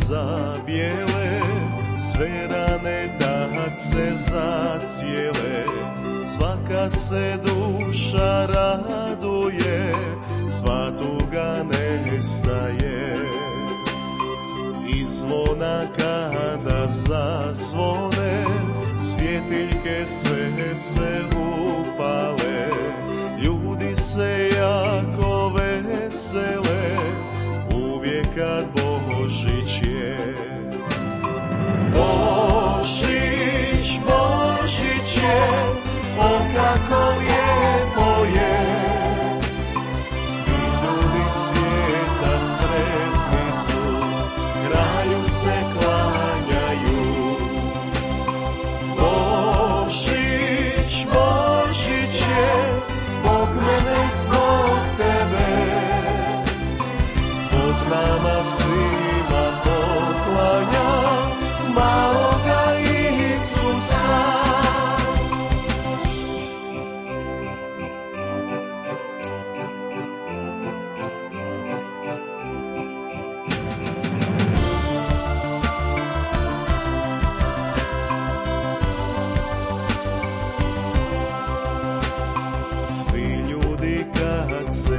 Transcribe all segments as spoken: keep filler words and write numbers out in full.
zabijele, sve rane tad se zacijele, svaka se duša raduje, sva tuga nestaje. I zvona kada zasvone, svjetiljke sve se upale, ljudi se jako vesele, uvijek kad Božić je. Božić, Božić je, o kako lijepo je, svi ljudi svijeta sretni su, kralju se klanjaju. Božić, Božić je, zbog mene, zbog tebe, Bog nama svima poklanja maloga Isusa.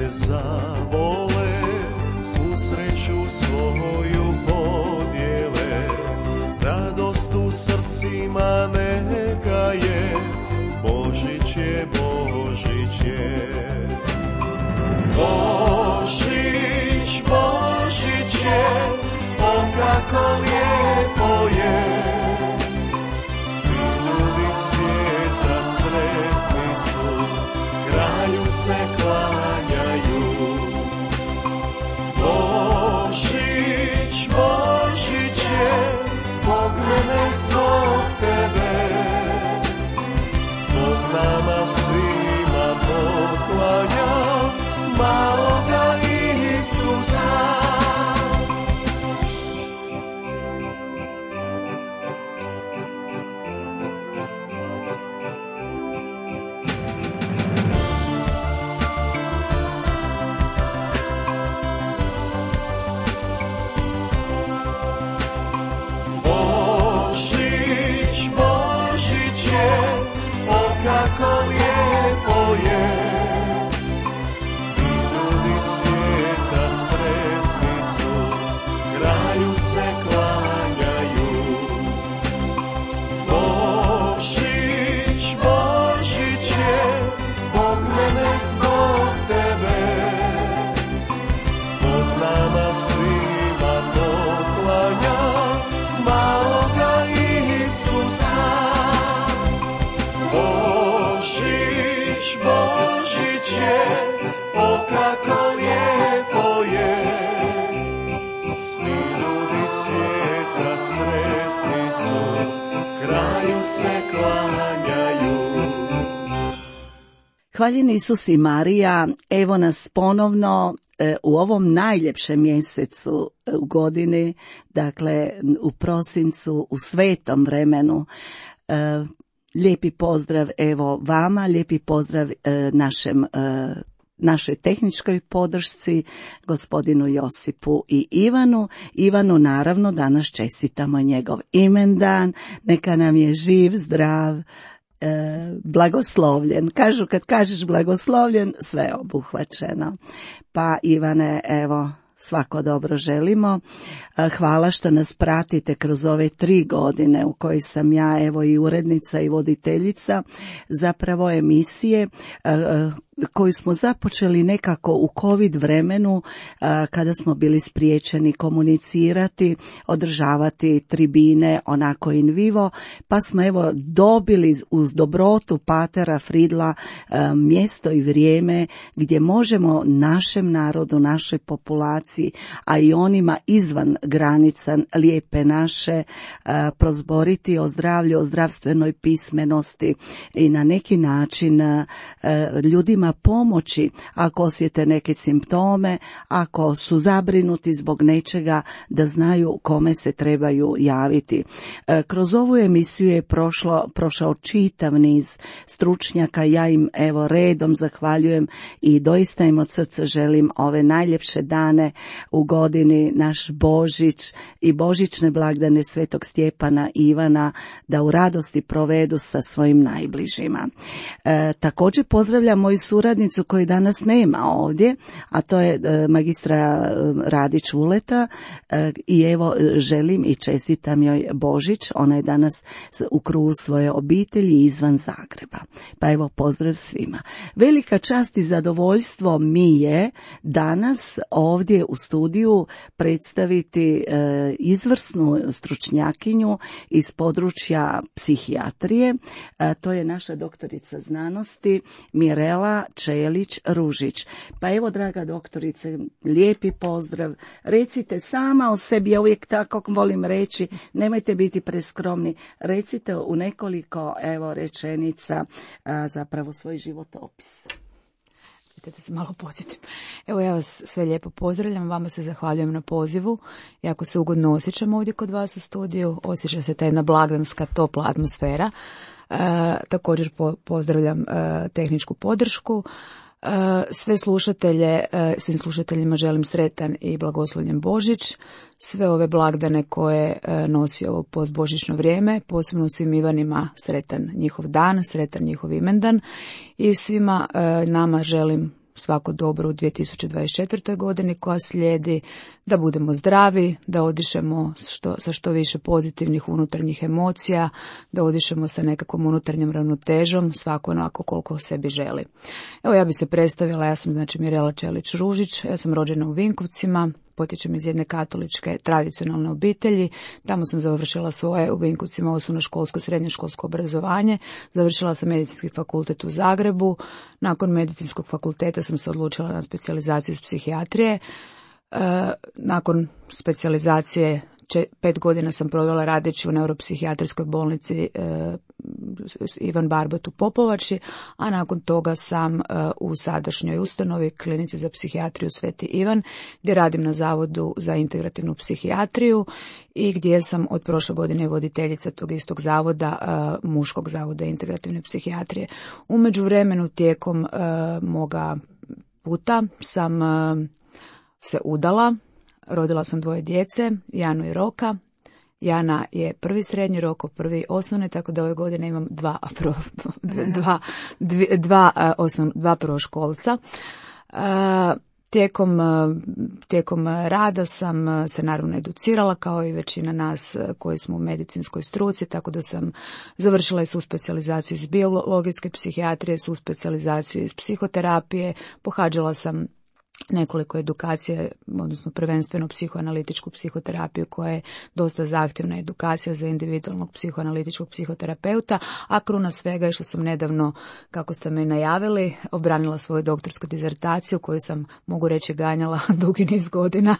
Zavole, susreću svoju podijele, radost u srcima neka je, Božić je, Božić je. Božić, Božić je, o kako lijepo je, svi ljudi svijeta sretni su, kralju se klanjaju. Božić, Božić je, zbog mene, zbog tebe, Bog nama svima poklanja maloga Isusa. Kako lijepo je, svi ljudi svijeta sretni su, kralju se klanjaju. Božić, Božić je, zbog mene, zbog tebe, Bog nama svima poklanja maloga Isusa. Božić, Božić je, o kako lijepo je, svi ljudi svijeta sretni su, kralju se klanjaju. Hvaljen Isus i Marija, evo nas ponovno e, u ovom najljepšem mjesecu e, u godini, dakle u prosincu, u svetom vremenu. E, Lijepi pozdrav evo vama, lijepi pozdrav e, našem, e, našoj tehničkoj podršci, gospodinu Josipu i Ivanu. Ivanu naravno danas čestitamo njegov imendan, neka nam je živ, zdrav, e, blagoslovljen. Kažu kad kažeš blagoslovljen, sve je obuhvaćeno. Pa Ivane, evo, svako dobro želimo. Hvala što nas pratite kroz ove tri godine u kojoj sam ja evo i urednica i voditeljica zapravo emisije koju smo započeli nekako u COVID vremenu kada smo bili spriječeni komunicirati, održavati tribine onako in vivo, pa smo evo dobili uz dobrotu Patera Fridla mjesto i vrijeme gdje možemo našem narodu, našoj populaciji, a i onima izvan granica lijepe naše prozboriti o zdravlju, o zdravstvenoj pismenosti i na neki način ljudima ljudima pomoći ako osjete neke simptome, ako su zabrinuti zbog nečega, da znaju kome se trebaju javiti. Kroz ovu emisiju je prošlo, prošao čitav niz stručnjaka, ja im evo redom zahvaljujem i doista im od srca želim ove najljepše dane u godini, naš Božić i božićne blagdane Svetog Stjepana i Ivana, da u radosti provedu sa svojim najbližima. E, također pozdravljam moju suradnicu koju danas nema ovdje, a to je e, magistra Radić Vuleta e, i evo želim i čestitam joj Božić, ona je danas u krugu svoje obitelji izvan Zagreba. Pa evo pozdrav svima. Velika čast i zadovoljstvo mi je danas ovdje u studiju predstaviti e, izvrsnu stručnjakinju iz područja psihijatrije. E, to je naša doktorica znanosti Mirela Čelić-Ružić. Pa evo, draga doktorice, lijepi pozdrav. Recite sama o sebi, ja uvijek tako volim reći, nemojte biti preskromni. Recite u nekoliko evo rečenica a, zapravo svoj životopis. Da se malo podsjetim. Evo, ja vas sve lijepo pozdravljam, vama se zahvaljujem na pozivu. Jako se ugodno osjećam ovdje kod vas u studiju, osjeća se ta jedna blagdanska, topla atmosfera. E, također po, pozdravljam e, tehničku podršku. E, sve slušatelje, e, svim slušateljima želim sretan i blagoslovljen Božić. Sve ove blagdane koje e, nosi ovo postbožićno vrijeme, posebno svim Ivanima sretan njihov dan, sretan njihov imendan i svima e, nama želim svako dobro u dvije tisuće dvadeset četvrtoj godini koja slijedi, da budemo zdravi, da odišemo što, sa što više pozitivnih unutarnjih emocija, da odišemo sa nekakvom unutarnjom ravnotežom, svako onako koliko sebi želi. Evo, ja bi se predstavila, ja sam znači Mirela Čelić-Ružić, ja sam rođena u Vinkovcima, potječem iz jedne katoličke tradicionalne obitelji, tamo sam završila svoje u Vinkovcima osnovnoškolsko, srednjoškolsko obrazovanje, završila sam medicinski fakultet u Zagrebu, nakon medicinskog fakulteta sam se odlučila na specijalizaciju iz psihijatrije, e, nakon specijalizacije pet godina sam provela radeći u neuropsihijatrijskoj bolnici e, Ivan Barbot u Popovači, a nakon toga sam e, u sadašnjoj ustanovi klinici za psihijatriju Sveti Ivan, gdje radim na Zavodu za integrativnu psihijatriju i gdje sam od prošle godine voditeljica tog istog zavoda, e, muškog zavoda integrativne psihijatrije. U međuvremenu tijekom e, moga puta sam e, se udala. Rodila sam dvoje djece, Janu i Roka. Jana je prvi srednji, Roko prvi osnovni, tako da ove godine imam dva, dva, dva, dva, osnov, dva prvoškolca. Tijekom, tijekom rada sam se naravno educirala kao i većina nas koji smo u medicinskoj struci, tako da sam završila i suspecijalizaciju iz biologijske psihijatrije, suspecijalizaciju iz psihoterapije, pohađala sam nekoliko edukacije, odnosno prvenstveno psihoanalitičku psihoterapiju koja je dosta zahtjevna edukacija za individualnog psihoanalitičkog psihoterapeuta, a kruna svega je što sam nedavno, kako ste me najavili, obranila svoju doktorsku dizertaciju koju sam, mogu reći, ganjala dugi niz godina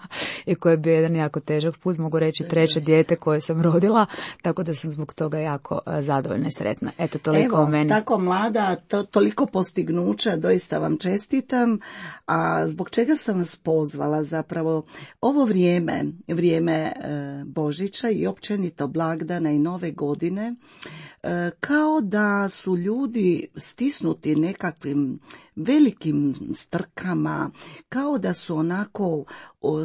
i koji je bio jedan jako težak put, mogu reći treće dijete koje sam rodila, tako da sam zbog toga jako zadovoljna i sretna. Eto, toliko Evo, o meni. Tako mlada, to, toliko postignuća, doista vam čestitam, a zbog čega sam vas pozvala zapravo ovo vrijeme, vrijeme e, Božića i općenito blagdana i nove godine, e, kao da su ljudi stisnuti nekakvim velikim strkama, kao da su onako u,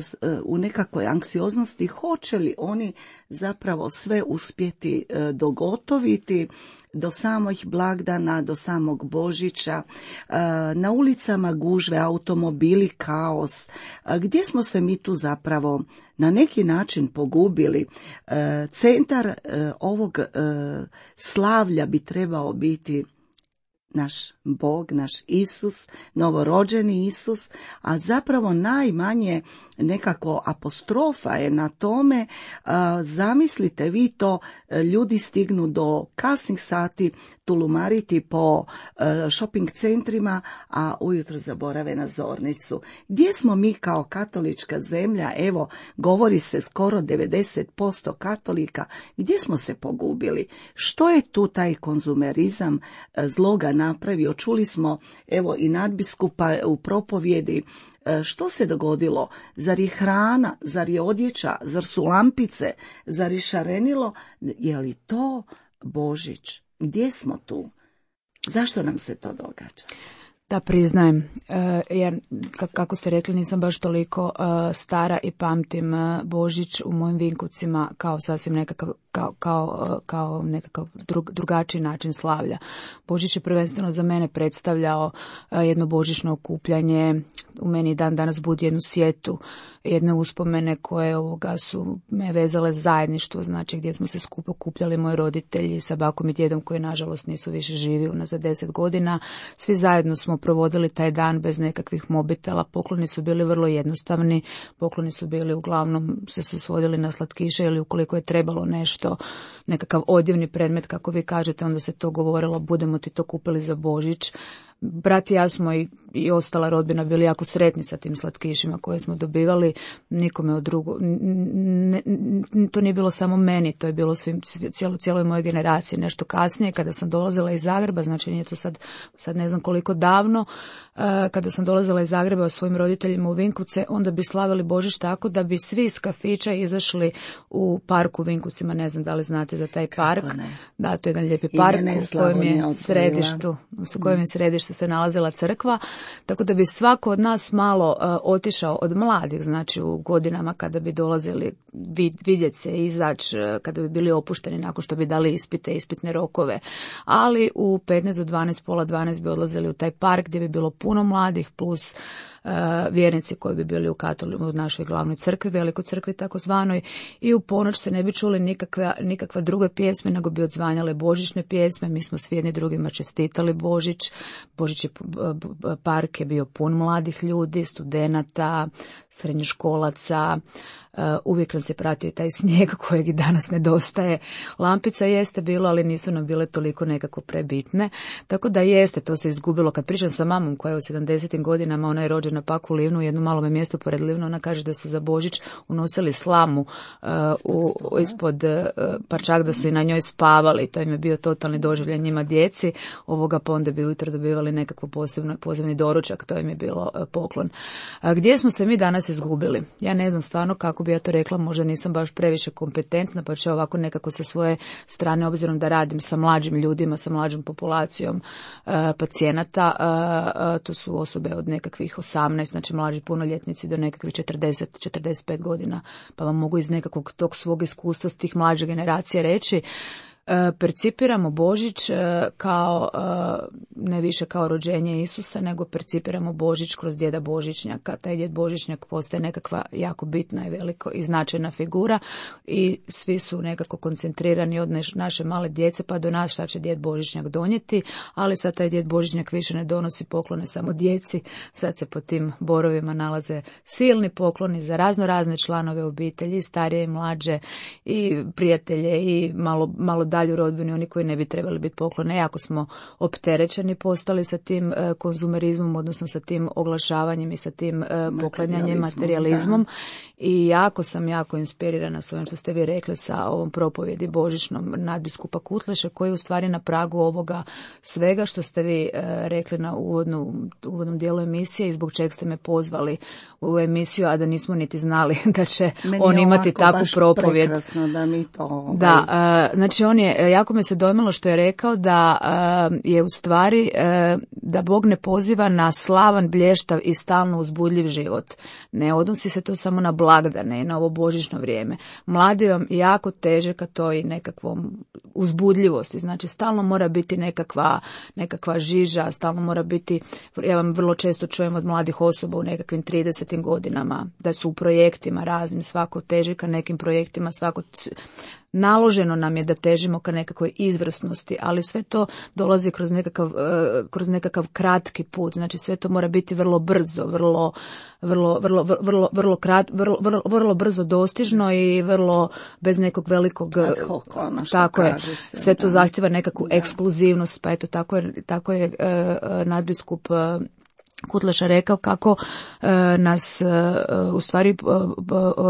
u nekakvoj anksioznosti, hoće li oni zapravo sve uspjeti e, dogotoviti do samih blagdana, do samog Božića, na ulicama gužve, automobili, kaos. Gdje smo se mi tu zapravo na neki način pogubili? Centar ovog slavlja bi trebao biti naš Bog, naš Isus, novorođeni Isus, a zapravo najmanje nekako apostrofa je na tome. Zamislite vi to, ljudi stignu do kasnih sati tulumariti po shopping centrima, a ujutro zaborave na zornicu. Gdje smo mi kao katolička zemlja? Evo, govori se skoro devedeset posto katolika. Gdje smo se pogubili? Što je tu taj konzumerizam zloga napravio. Čuli smo evo i nadbiskupa u propovjedi. Što se dogodilo? Zar je hrana, zar je odjeća, zar su lampice, zar je šarenilo? Je li to Božić? Gdje smo tu? Zašto nam se to događa? Da, priznajem, jer kako ste rekli nisam baš toliko stara i pamtim Božić u mojim Vinkovcima kao sasvim nekakav, kao, kao, kao nekakav drug, drugačiji način slavlja. Božić je prvenstveno za mene predstavljao jedno božićno okupljanje, u meni dan danas budi jednu sjetu, jedne uspomene koje ovoga su me vezale zajedništvo, znači gdje smo se skupo okupljali moji roditelji sa bakom i djedom koji nažalost nisu više živi unazad deset godina. Svi zajedno smo provodili taj dan bez nekakvih mobitela, pokloni su bili vrlo jednostavni, pokloni su bili uglavnom se su svodili na slatkiše ili ukoliko je trebalo nešto, nekakav odjevni predmet kako vi kažete, onda se to govorilo budemo ti to kupili za Božić. Brat i ja smo i, i ostala rodbina bili jako sretni sa tim slatkišima koje smo dobivali, nikome od drugo, ne, ne, to nije bilo samo meni, to je bilo svim, cijelo, cijeloj mojoj generaciji. Nešto kasnije kada sam dolazila iz Zagreba, znači nije to sad, sad ne znam koliko davno, kada sam dolazila iz Zagreba svojim roditeljima u Vinkovce, onda bi slavili Božić tako da bi svi iz kafića izašli u parku u Vinkovcima, ne znam da li znate za taj park. Da, to je jedan lijepi park u kojem je središtu, u kojem je središtu se nalazila crkva, tako da bi svako od nas malo uh, otišao od mladih, znači u godinama kada bi dolazili vid, vidjeti se, izaći, uh, kada bi bili opušteni nakon što bi dali ispite, ispitne rokove, ali u petnaest do dvanaest, pola dvanaest bi odlazili u taj park gdje bi bilo puno mladih plus Uh, vjernici koji bi bili u katoli, u našoj glavnoj crkvi, velikoj crkvi takozvanoj, i u ponoć se ne bi čuli nikakva, nikakva druge pjesme, nego bi odzvanjale božićne pjesme. Mi smo svi jedni drugima čestitali Božić. Božić je, park je bio pun mladih ljudi, studenata, srednjoškolaca. Uh, uvijek nam se pratio i taj snijeg kojeg i danas nedostaje. Lampica jeste bilo, ali nisu nam bile toliko nekako prebitne. Tako da jeste, to se izgubilo. Kad pričam sa mamom koja je u sedamdesetim godinama, ona je rođena pak u Livnu, jedno malome mjesto pored Livnu, ona kaže da su za Božić unosili slamu uh, u, ispod, uh, pa čak da su i na njoj spavali. To im je bio totalni doživljaj njima djeci. Ovoga pa onda bi ujutro dobivali nekakvo posebno, posebni doručak, to im je bilo uh, poklon. Uh, gdje smo se mi danas izgubili? Ja ne znam stvarno kako bi ja to rekla, možda nisam baš previše kompetentna, pa će ovako nekako sa svoje strane, obzirom da radim sa mlađim ljudima, sa mlađom populacijom uh, pacijenata, uh, uh, to su osobe od nekakvih osamnaest, znači mlađi punoljetnici do nekakvih četrdeset do četrdeset pet godina, pa vam mogu iz nekakvog tog svog iskustva s tih mlađe generacije reći. Percipiramo Božić kao, ne više kao rođenje Isusa, nego percipiramo Božić kroz djeda Božićnjaka. Taj djed Božićnjak postaje nekakva jako bitna i veliko i značajna figura i svi su nekako koncentrirani od naše male djece pa do nas šta će djed Božićnjak donijeti, ali sad taj djed Božićnjak više ne donosi poklone samo djeci, sad se po tim borovima nalaze silni pokloni za razno razne članove obitelji, starije i mlađe i prijatelje i malo, malo dalje u rodbini, oni koji ne bi trebali biti poklone. Jako smo opterećeni postali sa tim e, konzumerizmom, odnosno sa tim oglašavanjem i sa tim e, poklanjanjem, materijalizmom. Da. I jako sam jako inspirirana s ovim što ste vi rekli sa ovom propovjedi božićnom nadbiskupa Kutleše, koji je u stvari na pragu ovoga svega što ste vi e, rekli na uvodnu, uvodnom dijelu emisije i zbog čeg ste me pozvali u emisiju, a da nismo niti znali da će Meni on imati takvu propovjed. Da, mi to, ovaj... da e, znači on je, jako me se dojmilo što je rekao da uh, je u stvari uh, da Bog ne poziva na slavan, blještav i stalno uzbudljiv život. Ne odnosi se to samo na blagdane i na ovo božićno vrijeme. Mladi vam jako teže ka toj nekakvom uzbudljivosti. Znači stalno mora biti nekakva, nekakva žiža, stalno mora biti, ja vam vrlo često čujem od mladih osoba u nekakvim tridesetim godinama da su u projektima raznim, svako teži ka nekim projektima, svako naloženo nam je da težimo ka nekakvoj izvrsnosti, ali sve to dolazi kroz nekakav, kroz nekakav kratki put, znači sve to mora biti vrlo brzo, vrlo, vrlo, vrlo, vrlo, vrlo, krat, vrlo, vrlo, vrlo brzo dostižno i vrlo bez nekog velikog, tako je, se, sve to zahtjeva nekakvu da. ekskluzivnost, pa eto tako je, tako je uh, nadbiskup uh, Kutleša rekao kako e, nas e, u stvari e,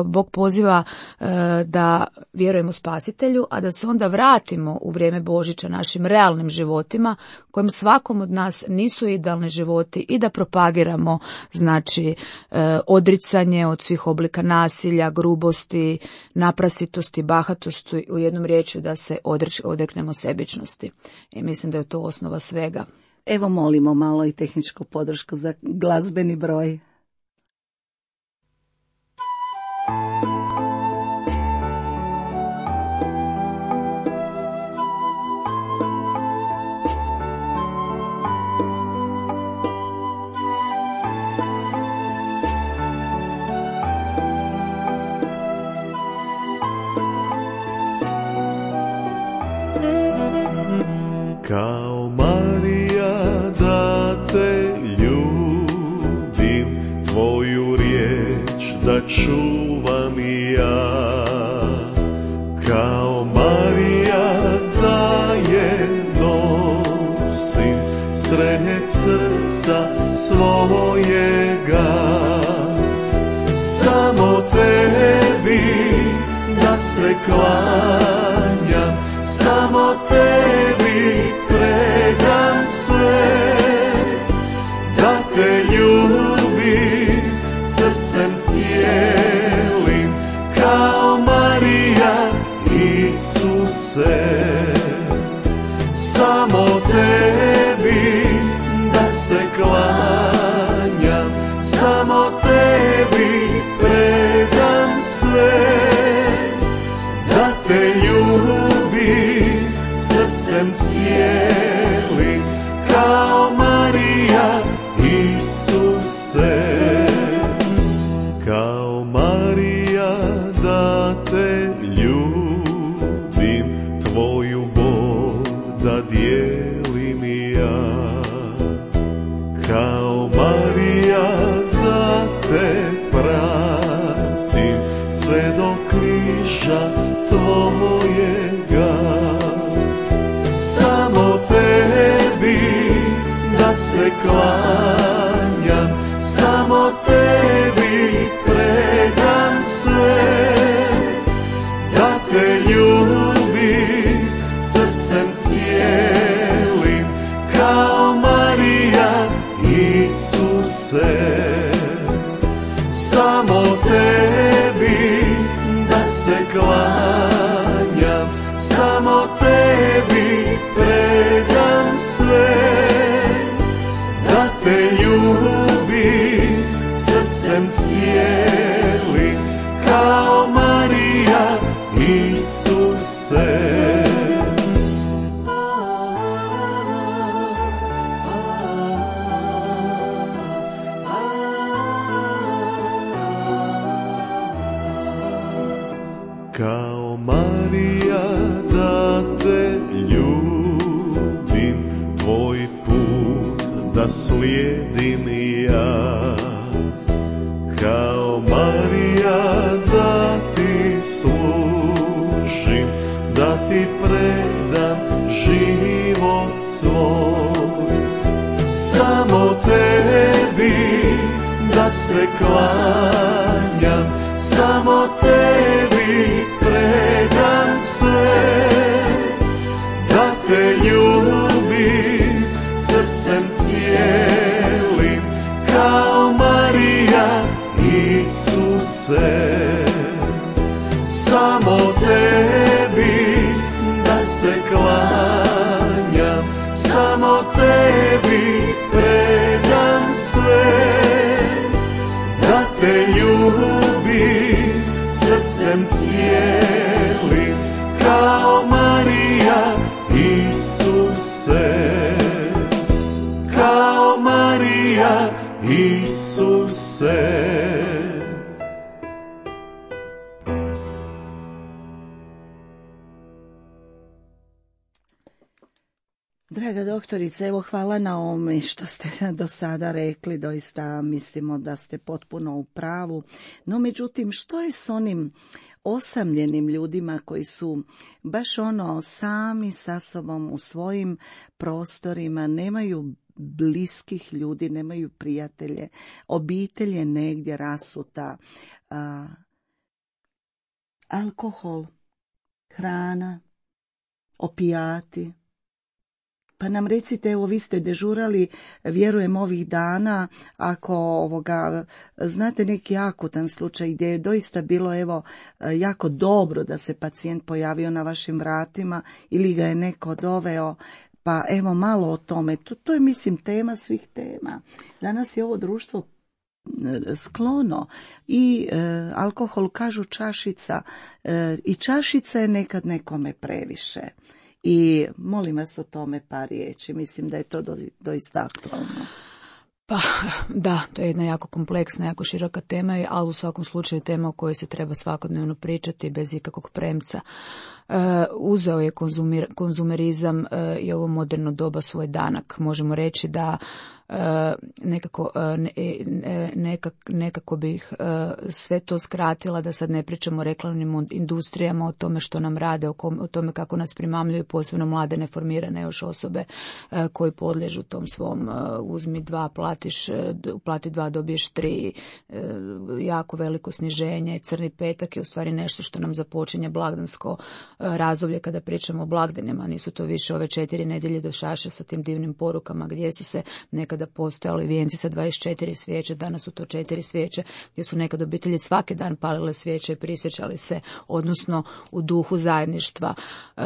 Bog poziva e, da vjerujemo Spasitelju, a da se onda vratimo u vrijeme Božića našim realnim životima, kojim svakom od nas nisu idealni životi, i da propagiramo znači e, odricanje od svih oblika nasilja, grubosti, naprasitosti, bahatosti, u jednom riječju da se odreć, odreknemo sebičnosti. I mislim da je to osnova svega. Evo molimo malo i tehničku podršku za glazbeni broj. Kao Marija da te ljubim, tvoju riječ da čuvam i ja. Kao Marija da je nosim sred srca svojega. Samo tebi da se klanjam, samo tebi predam sve, da te ljubim srcem cijelim, kao Marija Isuse. Samo tebi da se klanjam, samo tebi predam sve, da te ljubim srcem cijelim, kao Marija Isuse. Kao Marija da te ljubim, tvoju bol da dijelim i ja. Kao Marija da te pratim sve do križa tvojega. Samo tebi da se klanjam, samo tebi predam sve, da te ljubim srcem cijelim, kao Marija Isuse. Samo tebi da se klanjam, samo tebi predam sve, da te ljubim srcem cijelim, kao Marija Isuse. Kao Marija da te ljubim, tvoj put da slijedim i ja. Kao Marija da ti služim, da ti predam život svoj. Samo tebi da se klanjam, samo tebi predam sve, da te ljubim srcem cijelim, kao Marija Isuse. Samo tebi da se klanjam, samo tebi predam sve, da te ljubim srcem cijelim, kao Marija Isuse. Kao Marija Isuse. Draga doktorice, evo hvala na ovome što ste do sada rekli, doista mislimo da ste potpuno u pravu. No međutim, što je s onim osamljenim ljudima koji su baš ono sami sa sobom u svojim prostorima, nemaju bliskih ljudi, nemaju prijatelje, obitelj je negdje rasuta, a, alkohol, hrana, opijati. Pa nam recite, evo vi ste dežurali, vjerujem ovih dana, ako ovoga, znate neki akutan slučaj gdje je doista bilo evo jako dobro da se pacijent pojavio na vašim vratima ili ga je neko doveo, pa evo malo o tome. To, to je mislim tema svih tema. Danas je ovo društvo sklono i e, alkohol, kažu čašica, e, i čašica je nekad nekome previše. I molim vas o tome par riječi, mislim da je to do, doista aktualno. Pa da, to je jedna jako kompleksna, jako široka tema, ali u svakom slučaju tema o kojoj se treba svakodnevno pričati bez ikakvog premca. E, uzeo je konzumir, konzumerizam e, i ovo moderno doba svoj danak. Možemo reći da e, nekako, ne, nekak, nekako bih e, sve to skratila, da sad ne pričamo o reklamnim industrijama, o tome što nam rade, o, kom, o tome kako nas primamljuju, posebno mlade neformirane još osobe e, koji podliježu tom svom e, uzmi dva, platiš, plati dva, dobiješ tri, e, jako veliko sniženje, crni petak je u stvari nešto što nam započinje blagdansko razdoblje kada pričamo o blagdanima. Nisu to više ove četiri nedjelje do šaše sa tim divnim porukama gdje su se nekada postojali vijenci sa dvadeset četiri svijeće, danas su to četiri svijeće, gdje su nekad obitelji svaki dan palile svijeće i prisjećali se, odnosno u duhu zajedništva e,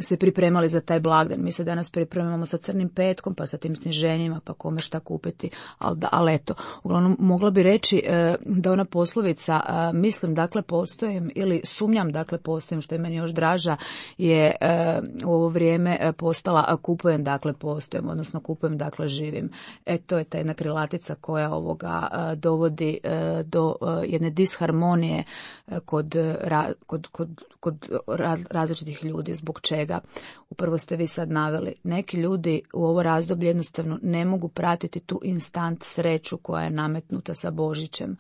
se pripremali za taj blagdan. Mi se danas pripremamo sa crnim petkom, pa sa tim sniženjima, pa kome šta kupiti, ali, da, ali eto. Uglavnom, mogla bi reći e, da ona poslovica, e, mislim, dakle, postojim, ili sumnjam, dakle, postojim, što je meni još draža, je e, u ovo vrijeme postala kupujem, dakle, postojim, odnosno kupujem, dakle, živim. E, to je ta jedna krilatica koja ovoga e, dovodi e, do e, jedne disharmonije e, kod, ra, kod, kod, kod raz, različitih ljudi. Zbog čega? Upravo ste vi sad naveli. Neki ljudi u ovo razdoblje jednostavno ne mogu pratiti tu instant sreću koja je nametnuta sa Božićem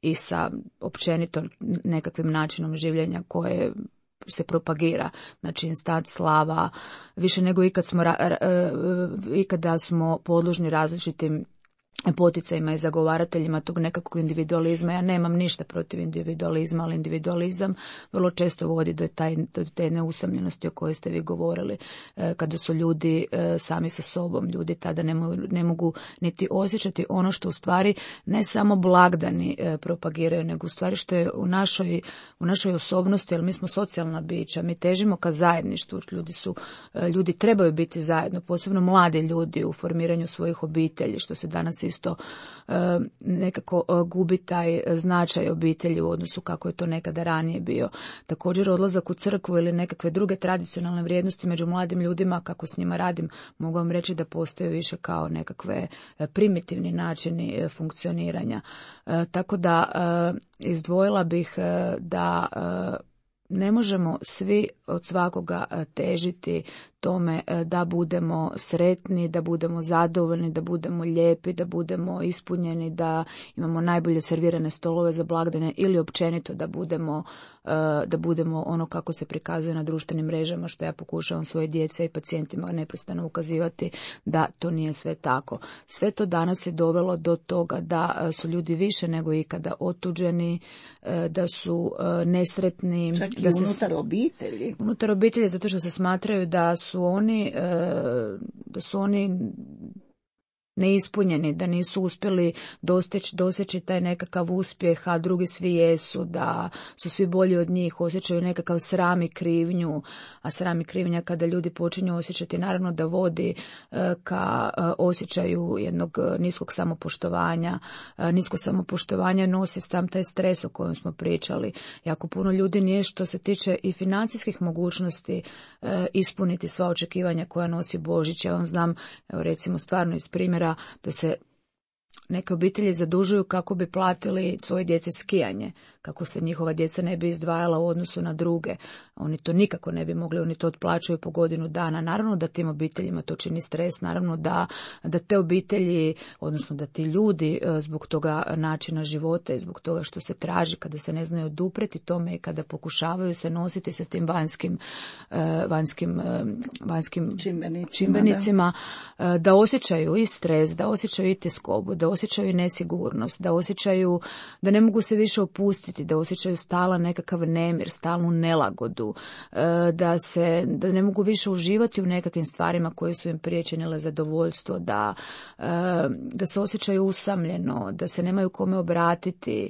i sa općenito nekakvim načinom življenja koje se propagira, znači instant slava, više nego ikad smo, ikada smo podložni različitim poticajima i zagovarateljima tog nekakvog individualizma. Ja nemam ništa protiv individualizma, ali individualizam vrlo često vodi do, taj, do te neusamljenosti o kojoj ste vi govorili, e, kada su ljudi e, sami sa sobom. Ljudi tada ne mogu, ne mogu niti osjećati ono što u stvari ne samo blagdani e, propagiraju, nego u stvari što je u našoj, u našoj osobnosti, jer mi smo socijalna bića, mi težimo ka zajedništvu, ljudi, su, e, ljudi trebaju biti zajedno, posebno mladi ljudi u formiranju svojih obitelji, što se danas isto e, nekako e, gubi taj značaj obitelji u odnosu kako je to nekada ranije bio. Također odlazak u crkvu ili nekakve druge tradicionalne vrijednosti među mladim ljudima, kako s njima radim, mogu vam reći da postoje više kao nekakve primitivni načini e, funkcioniranja. E, tako da e, izdvojila bih e, da e, ne možemo svi od svakoga težiti tome da budemo sretni, da budemo zadovoljni, da budemo lijepi, da budemo ispunjeni, da imamo najbolje servirane stolove za blagdane ili općenito da budemo, da budemo ono kako se prikazuje na društvenim mrežama, što ja pokušavam svoje djece i pacijentima neprestano ukazivati da to nije sve tako. Sve to danas je dovelo do toga da su ljudi više nego ikada otuđeni, da su nesretni. Čak i da unutar se, obitelji. Unutar obitelji, zato što se smatraju da su oni, da su oni neispunjeni, da nisu uspjeli dosteći, doseći taj nekakav uspjeh, a drugi svi jesu, da su svi bolji od njih, osjećaju nekakav sram i krivnju, a sram i krivnja kada ljudi počinju osjećati, naravno da vodi ka osjećaju jednog niskog samopoštovanja. Nisko samopoštovanje nosi tam taj stres o kojem smo pričali. Jako puno ljudi nije, što se tiče i financijskih mogućnosti, ispuniti sva očekivanja koja nosi Božić. Ja vam znam, evo recimo stvarno iz primjera, da se neke obitelji zadužuju kako bi platili svoje djece skijanje, kako se njihova djeca ne bi izdvajala u odnosu na druge. Oni to nikako ne bi mogli, oni to otplaćuju po godinu dana. Naravno da tim obiteljima to čini stres, naravno da, da te obitelji, odnosno da ti ljudi zbog toga načina života i zbog toga što se traži, kada se ne znaju odupreti tome i kada pokušavaju se nositi sa tim vanjskim, vanjskim, vanjskim čimbenicima, čimbenicima da. da osjećaju i stres, da osjećaju i tjeskobu, da osjećaju i nesigurnost, da osjećaju da ne mogu se više opustiti, da osjećaju stalan nekakav nemir, stalnu nelagodu, da se da ne mogu više uživati u nekakvim stvarima koje su im prije činile zadovoljstvo, da, da se osjećaju usamljeno, da se nemaju kome obratiti,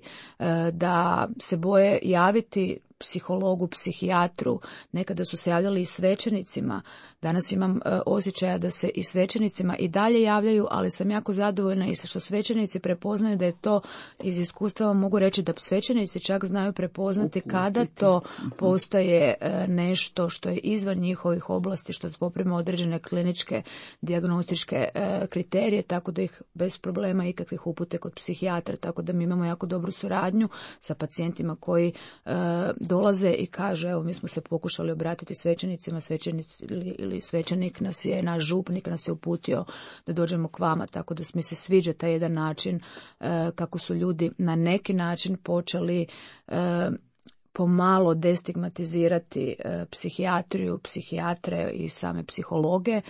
da se boje javiti psihologu, psihijatru. Nekada su se javljali i svećenicima. Danas imam e, osjećaja da se i svećenicima i dalje javljaju, ali sam jako zadovoljna i što svećenici prepoznaju da je to, iz iskustva mogu reći da svećenici čak znaju prepoznati kada to postaje e, nešto što je izvan njihovih oblasti, što poprima određene kliničke dijagnostičke e, kriterije, tako da ih bez problema ikakvih upute kod psihijatra, tako da mi imamo jako dobru suradnju sa pacijentima koji e, dolaze i kaže, evo mi smo se pokušali obratiti svećenicima, svećenici ili, ili svećenik nas je, naš župnik nas je uputio da dođemo k vama, tako da mi se sviđa taj jedan način e, kako su ljudi na neki način počeli e, pomalo destigmatizirati e, psihijatriju, psihijatre i same psihologe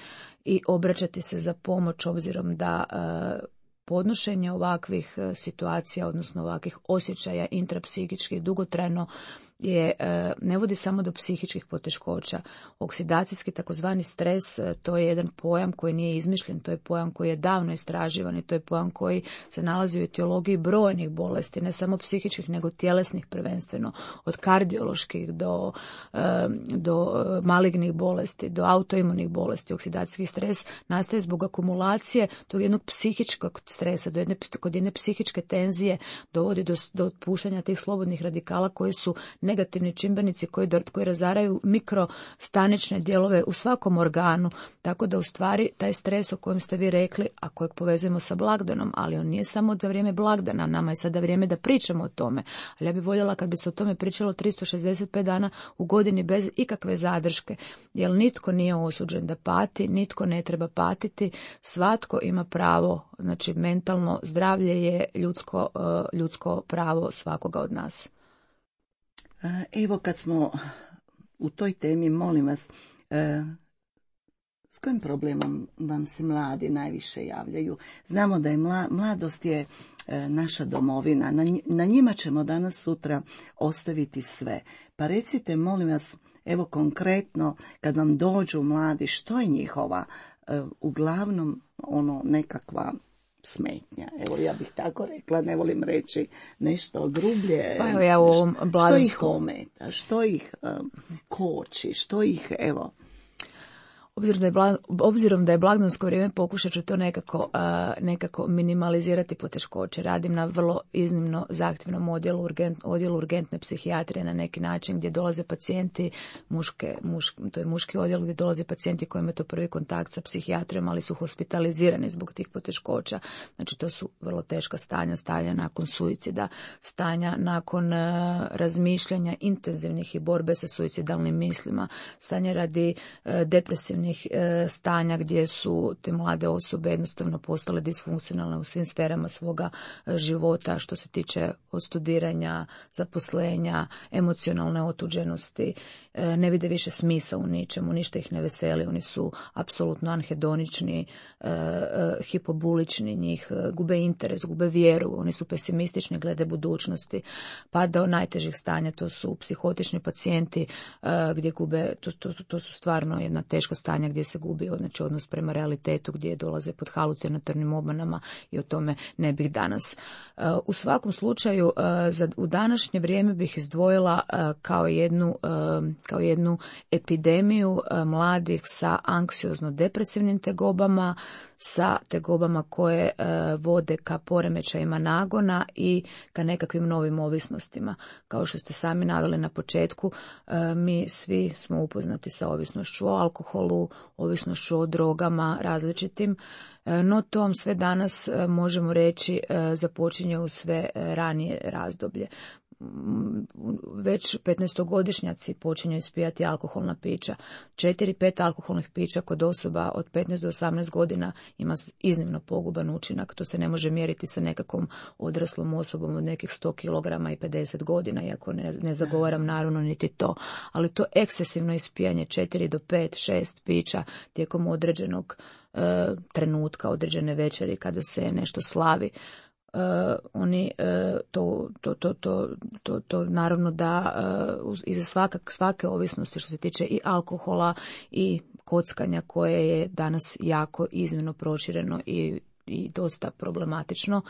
i obraćati se za pomoć obzirom da e, podnošenje ovakvih situacija, odnosno ovakvih osjećaja intrapsihičkih dugotrajno je, ne vodi samo do psihičkih poteškoća. Oksidacijski takozvani stres, to je jedan pojam koji nije izmišljen, to je pojam koji je davno istraživan i to je pojam koji se nalazi u etiologiji brojnih bolesti, ne samo psihičkih nego tjelesnih prvenstveno, od kardioloških do, do malignih bolesti, do autoimunih bolesti. Oksidacijski stres nastaje zbog akumulacije tog jednog psihičkog stresa, do jedne, kod jedne psihičke tenzije dovodi do, do otpuštanja tih slobodnih radikala koji su negativni čimbenici koji, koji razaraju mikrostanične dijelove u svakom organu, tako da u stvari taj stres o kojem ste vi rekli, a kojeg povezujemo sa blagdanom, ali on nije samo za vrijeme blagdana, nama je sada vrijeme da pričamo o tome, ali ja bih voljela kad bi se o tome pričalo tristo šezdeset pet dana u godini bez ikakve zadrške, jer nitko nije osuđen da pati, nitko ne treba patiti, svatko ima pravo, znači mentalno zdravlje je ljudsko, ljudsko pravo svakoga od nas. Evo kad smo u toj temi, molim vas, s kojim problemom vam se mladi najviše javljaju? Znamo da je mla, mladost je naša domovina, na njima ćemo danas sutra ostaviti sve. Pa recite, molim vas, evo konkretno, kad vam dođu mladi, što je njihova uglavnom ono nekakva smetnja? Evo, ja bih tako rekla, ne volim reći nešto grublje. Pa evo ja u ovom što ih ometa, što ih um, koči, što ih, evo... Obzirom da je, blag, obzirom da je blagdansko vrijeme, pokušat ću to nekako, uh, nekako minimalizirati poteškoće. Radim na vrlo iznimno zahtjevnom odjelu, urgent, odjelu urgentne psihijatrije na neki način gdje dolaze pacijenti, muške, mušk, to je muški odjel gdje dolaze pacijenti koji imaju to prvi kontakt sa psihijatrijom, ali su hospitalizirani zbog tih poteškoća. Znači to su vrlo teška stanja, stanja nakon suicida, stanja nakon uh, razmišljanja intenzivnih i borbe sa suicidalnim mislima, stanja radi uh, depresivnih stanja gdje su te mlade osobe jednostavno postale disfunkcionalne u svim sferama svoga života, što se tiče od studiranja, zaposlenja, emocionalne otuđenosti, ne vide više smisla u ničemu, ništa ih ne veseli, oni su apsolutno anhedonični, hipobulični, njih gube interes, gube vjeru, oni su pesimistični glede budućnosti, pa do najtežih stanja, to su psihotični pacijenti gdje gube, to, to, to su stvarno jedna teška stanja gdje se gubi znači, odnos prema realitetu, gdje dolaze pod halucinatornim obmanama i o tome ne bih danas. U svakom slučaju, za, u današnje vrijeme bih izdvojila kao jednu, kao jednu epidemiju mladih sa anksiozno-depresivnim tegobama, sa tegobama koje vode ka poremećajima nagona i ka nekakvim novim ovisnostima. Kao što ste sami naveli na početku, mi svi smo upoznati sa ovisnošću o alkoholu, alkoholu, ovisnošću o drogama različitim, no to vam sve danas možemo reći započinje u sve ranije razdoblje. Već petnaestogodišnjaci počinju ispijati alkoholna pića. četiri pet alkoholnih pića kod osoba od petnaest do osamnaest godina ima iznimno poguban učinak. To se ne može mjeriti sa nekakvom odraslom osobom od nekih sto kilograma i pedeset godina, iako ne, ne zagovaram naravno niti to. Ali to ekscesivno ispijanje četiri do pet, šest pića tijekom određenog e, trenutka, određene večeri kada se nešto slavi. Uh, oni uh, to, to, to, to, to, to naravno da uh, iza svakak, svake ovisnosti što se tiče i alkohola i kockanja koje je danas jako iznimno prošireno i, i dosta problematično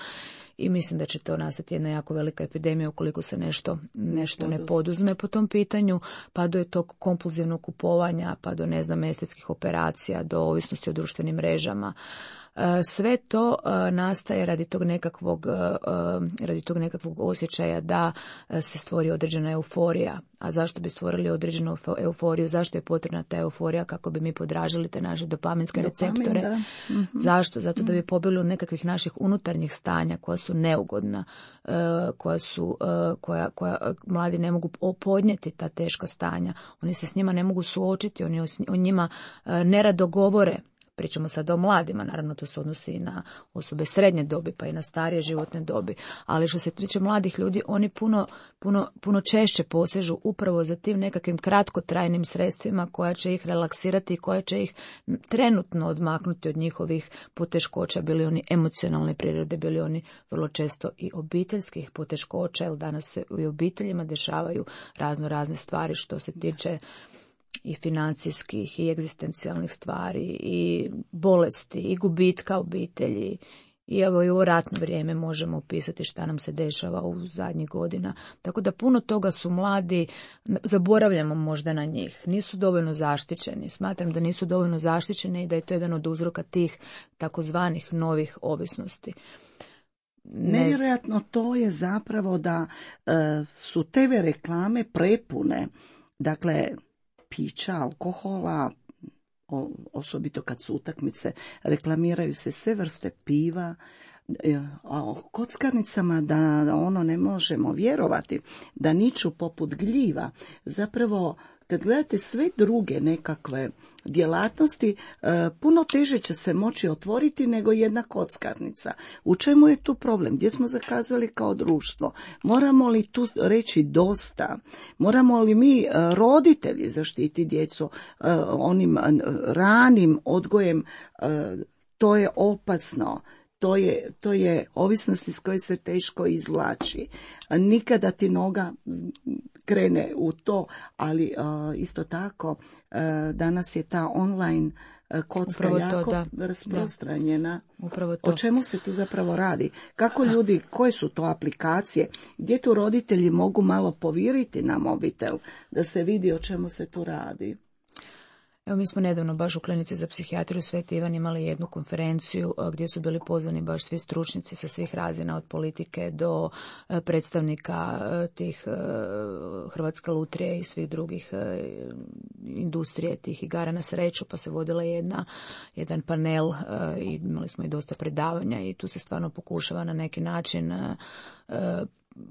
i mislim da će to nastati jedna jako velika epidemija ukoliko se nešto, nešto ne poduzme po tom pitanju, pa do tog kompulzivnog kupovanja, pa do ne znam estetskih operacija, do ovisnosti o društvenim mrežama. Sve to nastaje radi tog nekakvog, radi tog nekakvog osjećaja da se stvori određena euforija. A zašto bi stvorili određenu euforiju? Zašto je potrebna ta euforija? Kako bi mi podražili te naše dopaminske receptore? Dopamin, mm-hmm. Zašto? Zato da bi pobjegli od nekakvih naših unutarnjih stanja koja su neugodna, koja su, koja, koja mladi ne mogu podnijeti ta teška stanja. Oni se s njima ne mogu suočiti, oni o njima nerado govore. Pričamo sada o mladima, naravno to se odnosi i na osobe srednje dobi, pa i na starije životne dobi, ali što se tiče mladih ljudi, oni puno, puno, puno češće posežu upravo za tim nekakvim kratkotrajnim sredstvima koja će ih relaksirati i koja će ih trenutno odmaknuti od njihovih poteškoća, bili oni emocionalne prirode, bili oni vrlo često i obiteljskih poteškoća, jer danas se u obiteljima dešavaju razno razne stvari što se tiče i financijskih i egzistencijalnih stvari i bolesti i gubitka obitelji. I evo i u ratno vrijeme možemo opisati šta nam se dešava u zadnjih godina. Tako da puno toga su mladi, zaboravljamo možda na njih, nisu dovoljno zaštićeni. Smatram da nisu dovoljno zaštićeni i da je to jedan od uzroka tih takozvanih novih ovisnosti. Ne... Nevjerojatno to je zapravo da e, su te reklame prepune, dakle, pića, alkohola, osobito kad su utakmice, reklamiraju se sve vrste piva, o kockarnicama da ono ne možemo vjerovati, da niču poput gljiva. Zapravo, kad gledate sve druge nekakve djelatnosti, puno teže će se moći otvoriti nego jedna kockarnica. U čemu je tu problem? Gdje smo zakazali kao društvo? Moramo li tu reći dosta? Moramo li mi roditelji zaštiti djecu onim ranim odgojem? To je opasno. To je, to je ovisnost iz koje se teško izvlači. Nikada ti noga krene u to, ali uh, isto tako uh, danas je ta online uh, kocka Upravo jako to, da. rasprostranjena. Da. Upravo to. O čemu se tu zapravo radi? Kako ljudi, koje su to aplikacije? Gdje tu roditelji mogu malo poviriti na mobitel da se vidi o čemu se tu radi? Evo, mi smo nedavno baš u klinici za psihijatriju Sveti Ivan imali jednu konferenciju gdje su bili pozvani baš svi stručnjaci sa svih razina, od politike do predstavnika tih Hrvatske lutrije i svih drugih industrije tih igara na sreću, pa se vodila jedna, jedan panel i imali smo i dosta predavanja i tu se stvarno pokušava na neki način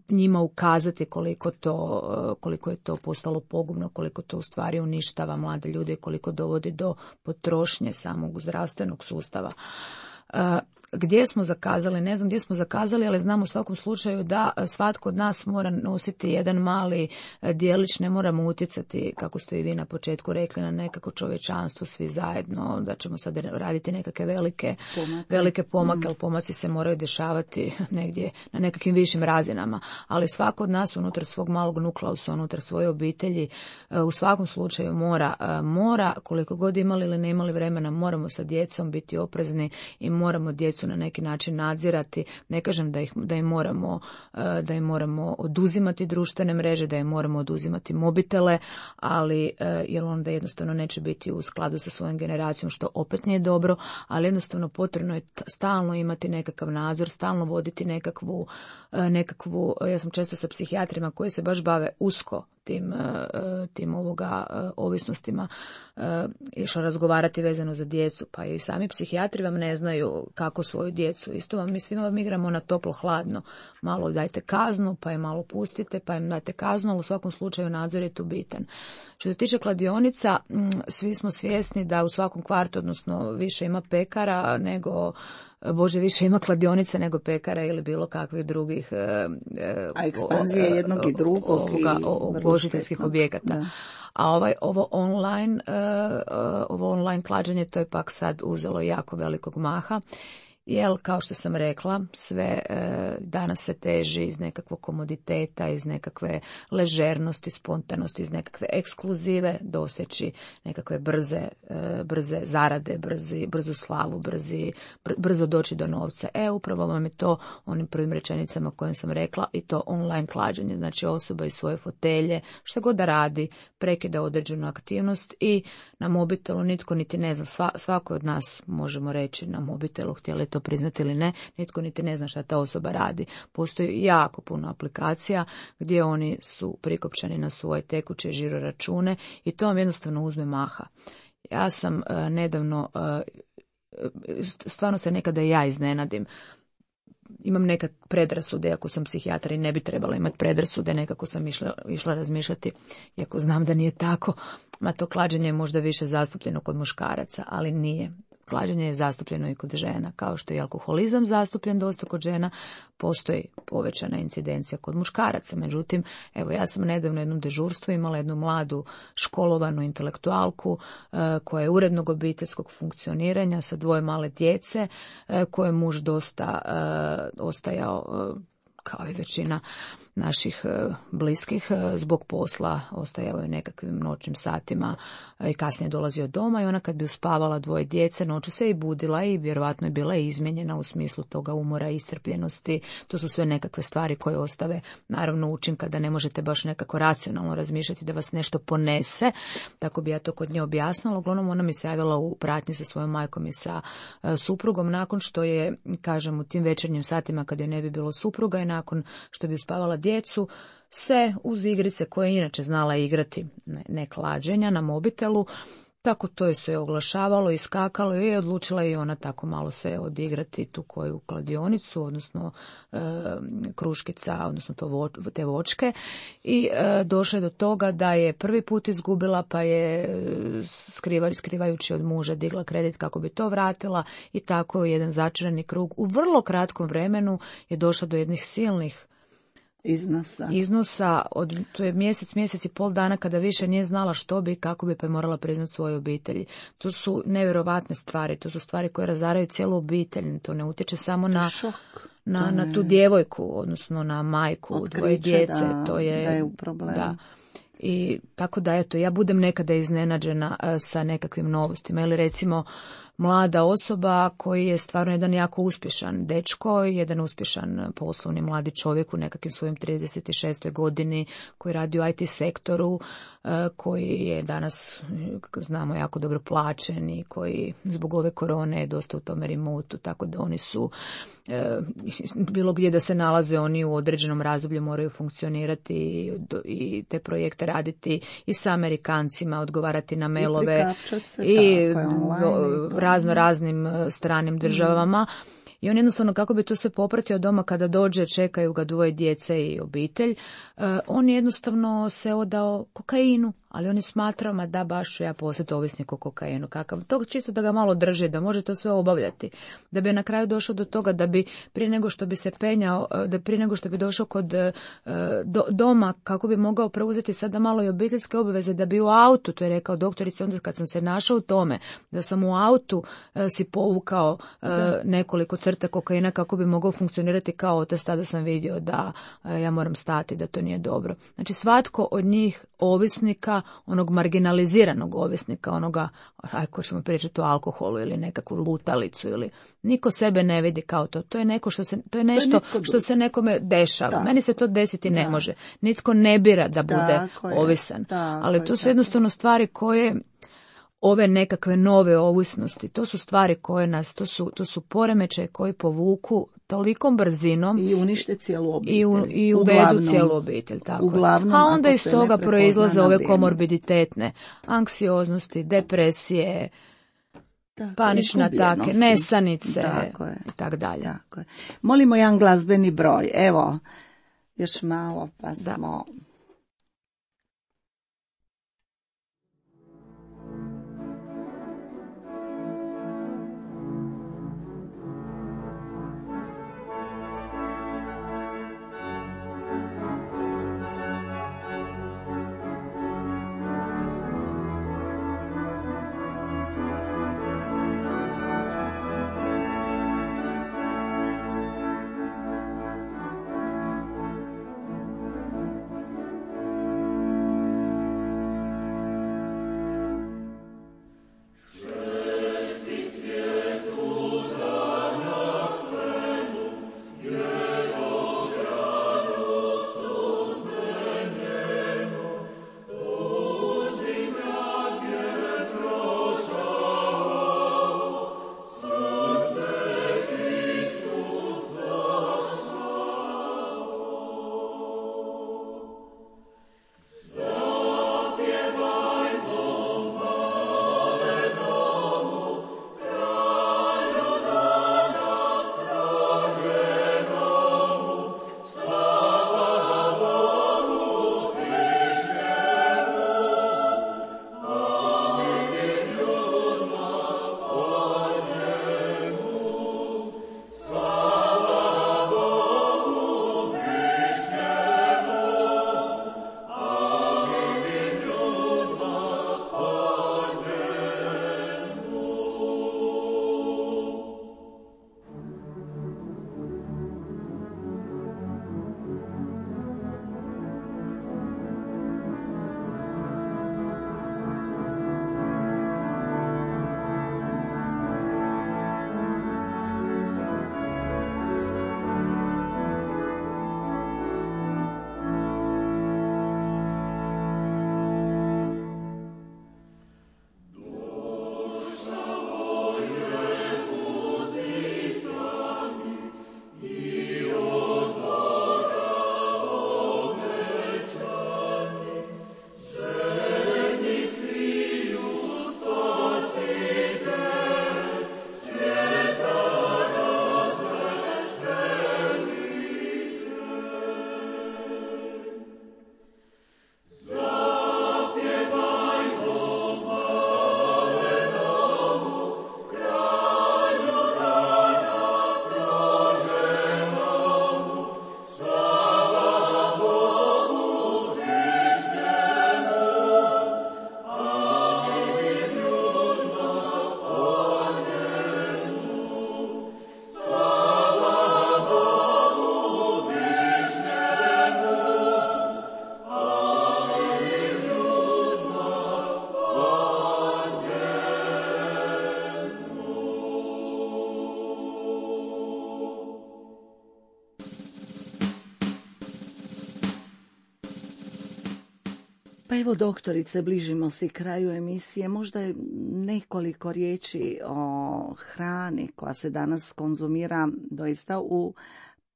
njima ukazati koliko to, koliko je to postalo pogubno, koliko to u stvari uništava mlade ljude i koliko dovodi do potrošnje samog zdravstvenog sustava. Gdje smo zakazali, ne znam gdje smo zakazali, ali znam u svakom slučaju da svatko od nas mora nositi jedan mali dijelić, ne moramo utjecati, kako ste i vi na početku rekli, na nekako čovječanstvo svi zajedno, da ćemo sad raditi nekakve velike pomake, velike pomake, ali pomaci se moraju dešavati negdje na nekakvim višim razinama, ali svako od nas unutar svog malog nukleusa, unutar svoje obitelji, u svakom slučaju mora, mora koliko god imali ili ne imali vremena, moramo sa djecom biti oprezni i moramo djecu na neki način nadzirati. Ne kažem da ih da im moramo da im moramo oduzimati društvene mreže, da im moramo oduzimati mobitele, ali jer onda jednostavno neće biti u skladu sa svojom generacijom, što opet nije dobro, ali jednostavno potrebno je stalno imati nekakav nadzor, stalno voditi nekakvu nekakvu ja sam često sa psihijatrima koji se baš bave usko tim, tim ovoga ovisnostima išla razgovarati vezano za djecu, pa i sami psihijatri vam ne znaju kako svoju djecu. Isto vam, mi svima vam igramo na toplo-hladno. Malo dajte kaznu, pa je malo pustite, pa im dajte kaznu, ali u svakom slučaju nadzor je tu bitan. Što se tiče kladionica, svi smo svjesni da u svakom kvartu, odnosno više ima pekara nego, Bože, više ima kladionice nego pekara ili bilo kakvih drugih a ekspanzija o, jednog i drugog ugostiteljskih objekata. Da. A ovaj, ovo online, ovo online klađenje, to je pak sad uzelo jako velikog maha. Jer, kao što sam rekla, sve e, danas se teži iz nekakvog komoditeta, iz nekakve ležernosti, spontanosti, iz nekakve ekskluzive, doseći nekakve brze, e, brze zarade, brzi, brzu slavu, brzi, br, brzo doći do novca. E, upravo vam je to onim prvim rečenicama kojim sam rekla, i to online klađenje. Znači, osoba iz svoje fotelje, što god da radi, prekida određenu aktivnost i na mobitelu nitko niti ne zna. Sva, svako od nas, možemo reći, na mobitelu, htjeli to priznati ili ne, nitko niti ne zna šta ta osoba radi. Postoji jako puno aplikacija gdje oni su prikopčani na svoje tekuće žiro račune i to vam jednostavno uzme maha. Ja sam uh, nedavno, uh, stvarno se nekada ja iznenadim, imam neka predrasude, ako sam psihijatar i ne bi trebala imati predrasude, nekako sam išla, išla razmišljati, iako znam da nije tako, ma to klađenje je možda više zastupljeno kod muškaraca, ali nije. Klađenje je zastupljeno i kod žena, kao što je alkoholizam zastupljen dosta kod žena, postoji povećana incidencija kod muškaraca. Međutim, evo, ja sam nedavno jednom dežurstvu imala jednu mladu školovanu intelektualku e, koja je urednog obiteljskog funkcioniranja sa dvoje male djece, e, koje je muž dosta e, ostajao, e, kao i većina naših bliskih, zbog posla ostajao je nekakvim noćnim satima i kasnije dolazio doma i ona kad bi uspavala dvoje djece noću se i budila i vjerovatno je bila izmijenjena u smislu toga umora i iscrpljenosti. To su sve nekakve stvari koje ostave naravno učinka da ne možete baš nekako racionalno razmišljati da vas nešto ponese. Tako bi ja to kod nje objasnila. Uglavnom ona mi se javila u pratnji sa svojom majkom i sa suprugom nakon što je, kažem, u tim večernjim satima kad joj ne bi bilo supruga i nakon što bi uspavala djecu, se uz igrice koje je inače znala igrati, ne, ne klađenja, na mobitelu, tako to je se oglašavalo, iskakalo i je odlučila i ona tako malo se odigrati tu koju kladionicu, odnosno e, kruškica, odnosno to vo, te vočke i e, došla je do toga da je prvi put izgubila, pa je skriva, skrivajući od muža digla kredit kako bi to vratila i tako jedan začarani krug. U vrlo kratkom vremenu je došla do jednih silnih iznosa. Iznosa, od, to je mjesec, mjesec i pol dana kada više nije znala što bi, kako bi, pa je morala priznati svojoj obitelji. To su nevjerovatne stvari, to su stvari koje razaraju cijelu obitelj, to ne utječe samo na, na, na tu djevojku, odnosno na majku, otkriće, dvoje djece, da, to je, da je u problemu. Da. I tako da, eto, ja budem nekada iznenađena uh, sa nekakvim novostima, ili recimo mlada osoba koji je stvarno jedan jako uspješan dečko, jedan uspješan poslovni mladi čovjek u nekakvim svojim trideset šestoj godini, koji radi u I T sektoru, koji je danas, znamo, jako dobro plaćen i koji zbog ove korone je dosta u tome remotu, tako da oni su, bilo gdje da se nalaze, oni u određenom razdoblju moraju funkcionirati i te projekte raditi i sa Amerikancima, odgovarati na mailove i, i razno raznim stranim državama. I on jednostavno, kako bi to sve popratio doma kada dođe, čekaju ga dvoje djece i obitelj, on jednostavno se odao kokainu, ali on je smatrao, ma da, baš ću ja postati ovisnik o kokainu. Kakav, to čisto da ga malo drži, da može to sve obavljati. Da bi na kraju došao do toga da bi prije nego što bi se penjao, da prije nego što bi došao kod do, doma, kako bi mogao preuzeti sada malo i obiteljske obaveze, da bi u autu, to je rekao doktorica, onda kad sam se našao u tome, da sam u autu si povukao nekoliko crta kokaina kako bi mogao funkcionirati kao otac, tada sam vidio da ja moram stati, da to nije dobro. Znači, svatko od njih ovisnika, onog marginaliziranog ovisnika, onoga, ako ćemo pričati o alkoholu ili nekakvu lutalicu, ili niko sebe ne vidi kao to. To je neko što se, to je nešto što se nekome dešava. Da. Meni se to desiti ne da. može. Nitko ne bira da bude da, ovisan. Da, ali to su jednostavno stvari koje, ove nekakve nove ovisnosti, to su stvari koje nas, to su, to su poremećaje koji povuku tolikom brzinom i unište cijelu obitelj. I, u, i uvedu uglavnom, cijelu obitelj. Tako uglavnom, a onda iz toga proizlaze ove komorbiditetne anksioznosti, depresije, tako, panične atake, nesanice i tako dalje. Tako je. Molimo jedan glazbeni broj. Evo, još malo pa da. smo... Pa evo, doktorice, bližimo se kraju emisije. Možda je nekoliko riječi o hrani koja se danas konzumira doista u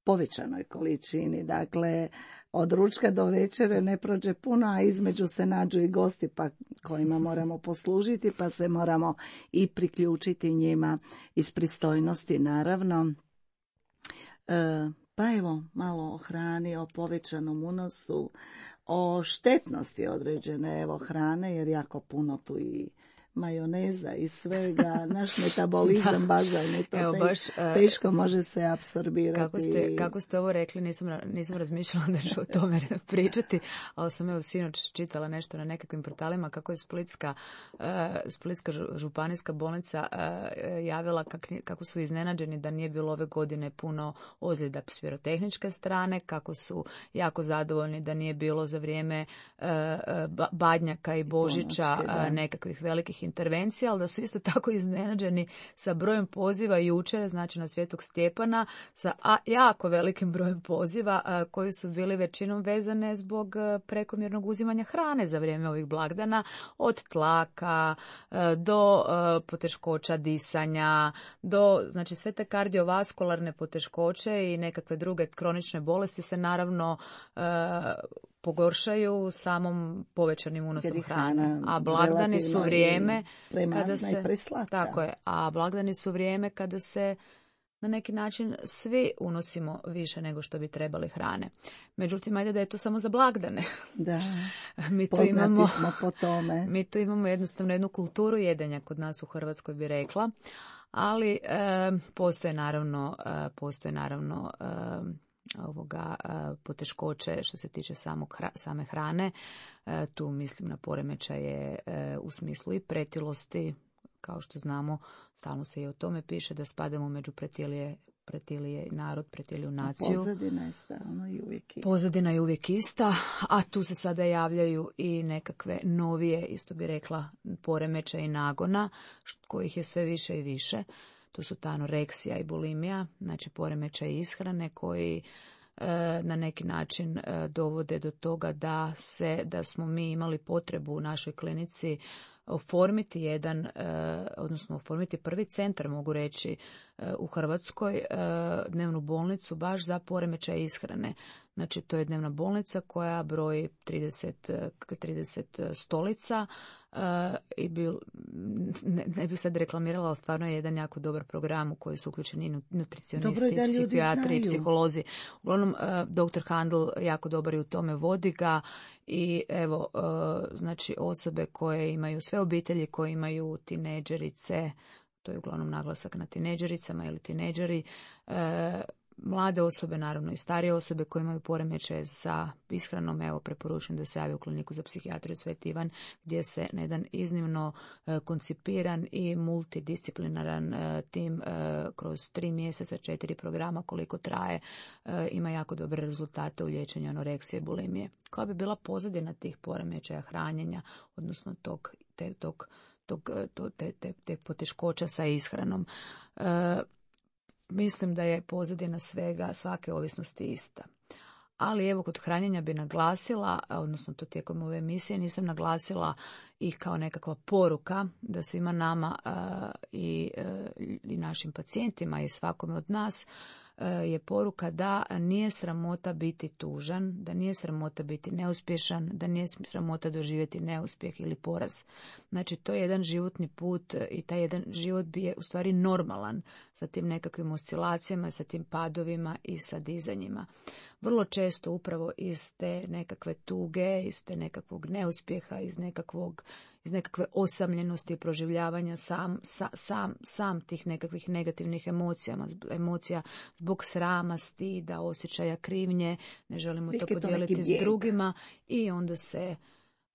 povećanoj količini. Dakle, od ručka do večere ne prođe puno, a između se nađu i gosti pa kojima moramo poslužiti, pa se moramo i priključiti njima iz pristojnosti, naravno. E, pa evo, malo o hrani, o povećanom unosu, o štetnosti određene evo hrane, jer jako puno tu i majoneza i svega, naš metabolizam bazalni, to evo, baš, teško može se apsorbirati. Kako ste, kako ste ovo rekli, nisam, nisam razmišljala da ću o tome pričati, ali sam evo sinoć čitala nešto na nekakvim portalima kako je Splitska, uh, Splitska županijska bolnica uh, javila kak, kako su iznenađeni da nije bilo ove godine puno ozljeda s pirotehničke strane, kako su jako zadovoljni da nije bilo za vrijeme uh, Badnjaka i Božića Ponočke, nekakvih velikih intervencija, ali da su isto tako iznenađeni sa brojem poziva jučer, znači na Svetog Stjepana, sa jako velikim brojem poziva koji su bili većinom vezane zbog prekomjernog uzimanja hrane za vrijeme ovih blagdana, od tlaka do poteškoća disanja, do, znači sve te kardiovaskularne poteškoće i nekakve druge kronične bolesti se naravno pogoršaju samom povećanim unosom hrane. A blagdani su vrijeme kada se tako je, a blagdani su vrijeme kada se na neki način svi unosimo više nego što bi trebali hrane. Međutim, ajde da je to samo za blagdane. Da, mi tu imamo, smo po tome. Mi tu imamo jednostavno jednu kulturu jedenja kod nas u Hrvatskoj, bi rekla, ali e, postoje naravno, e, postoje naravno e, ovoga e, poteškoće što se tiče samog, same hrane. E, tu mislim na poremećaje e, u smislu i pretilosti. Kao što znamo, stalno se i o tome piše da spadamo među pretilije, pretilije narod, pretiliju naciju. Pozadina je stalno i uvijek ista. Pozadina je uvijek ista, a tu se sada javljaju i nekakve novije, isto bi rekla, poremećaje i nagona, kojih je sve više i više. To su ta anoreksija i bulimija, znači poremećaj ishrane koji e, na neki način e, dovode do toga da se, da smo mi imali potrebu u našoj klinici oformiti jedan, odnosno oformiti prvi centar, mogu reći, u Hrvatskoj, dnevnu bolnicu baš za poremećaj ishrane. Znači, to je dnevna bolnica koja broji trideset, trideset stolica i bil, ne, ne bih sad reklamirala, ali stvarno je jedan jako dobar program u koji su uključeni i nutricionisti, psihijatri i psiholozi. Uglavnom, doktor Handel jako dobar i u tome, vodi ga i evo, znači osobe koje imaju, sve obitelji koje imaju tineđerice, to je uglavnom naglasak na tineđericama ili tineđeri, mlade osobe, naravno i starije osobe koje imaju poremećaje sa ishranom, evo preporučujem da se javi u kliniku za psihijatriju Sveti Ivan, gdje se na jedan iznimno koncipiran i multidisciplinaran tim kroz tri mjeseca, četiri programa koliko traje, ima jako dobre rezultate u liječenju anoreksije i bulimije. Koja bi bila pozadina tih poremećaja hranjenja, odnosno tog, te, tog, tog, te, te, te poteškoća sa ishranom? Mislim da je pozadina svega, svake ovisnosti ista. Ali evo, kod hranjenja bi naglasila, odnosno to tijekom ove emisije nisam naglasila i kao nekakva poruka da svima nama uh, i, uh, i našim pacijentima i svakome od nas uh, je poruka da nije sramota biti tužan, da nije sramota biti neuspješan, da nije sramota doživjeti neuspjeh ili poraz. Znači, to je jedan životni put i taj jedan život bi je u stvari normalan sa tim nekakvim oscilacijama, sa tim padovima i sa dizanjima. Vrlo često upravo iz te nekakve tuge, iz te nekakvog neuspjeha, iz nekakvog, iz nekakve osamljenosti i proživljavanja sam, sa, sam, sam tih nekakvih negativnih emocija, emocija zbog srama, stida, osjećaja krivnje, ne želimo to podijeliti s drugima i onda se